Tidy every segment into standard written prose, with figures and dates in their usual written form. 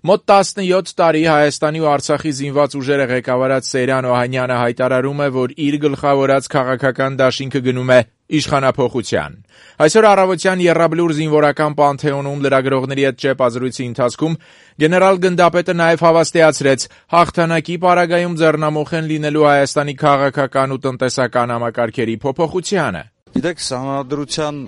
Մոտ 17 տարի Հայաստանի ու Արցախի զինված ուժերը ղեկավարած Սեյրան Օհանյանը հայտարարում է, որ իր գլխավորած քաղաքական դաշինքը գնում է իշխանափոխության։ Այսօր առավոտյան Եռաբլուր զինվորական պանթեոնում լրագրողների հետ ճեպազրույցի ընթացքում գեներալ գնդապետը նաև հավաստիացրեց հաղթանակի պարագայում ձեռնամուխ են լինելու Հայաստանի քաղաքական ու տնտեսական համակարգերի փոփոխությանը։ Գիտեք, սահմանադրության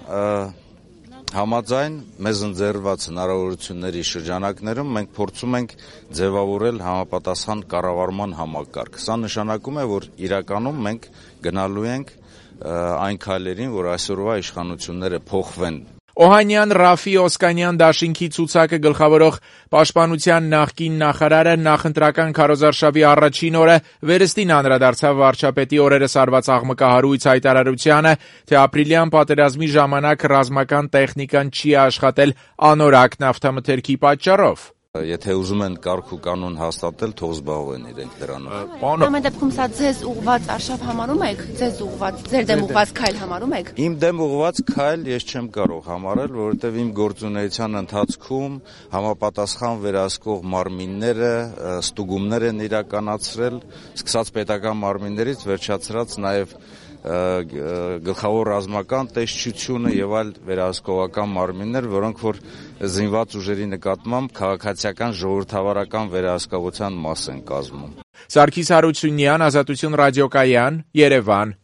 համաձայն մեզ ընձեռված հնարավորությունների շրջանակներում մենք փորձում ենք ձևավորել համապատասխան կառավարման համակարգ։ Սա նշանակում է, որ իրականում մենք գնալու ենք այն քայլերին, որ այսօրվա իշխանությունները փոխվեն։ Օհանյան Ռաֆի Օսկանյան դաշինքի ցուցակը գլխավորող պաշտպանության նախկին նախարարը նախընտրական քարոզարշավի առաջին օրը վերստին անդրադարձավ վարչապետի օրերս արված աղմկահարույց հայտարարությանը, թե ապրիլյան պատերազմի ժամանակ ռազմական տեխնիկան չի աշխատել անորակ նավթամթերքի պատճառով։ Եթե ուզում են կարգ ու կանոն հաստատել, թող զբաղվեն իրենք դրանով։ Ամեն դեպքում սա ձեզ ուղված արշավ համարում եք, ձեզ ուղված, ձեր դեմ ուղված քայլ համարում եք։ Իմ դեմ ուղված քայլ ես չեմ կարող համարել, որովհետև իմ գործունեության ընթացքում համապատասխան վերահսկող մարմինները ստուգումներ են իրականացրել, սկսած պետական մարմիններից վերջացրած նաև գլխավոր ռազմական տեսչությունը եւ այլ վերահսկողական մարմիններ, որոնք որ զինված ուժերի նկատմամբ քաղաքացիական ժողովրդավարական վերահսկողության մաս են կազմում։ Սարգիս Հարությունյան, Ազատություն ռադիոկայան, Երևան։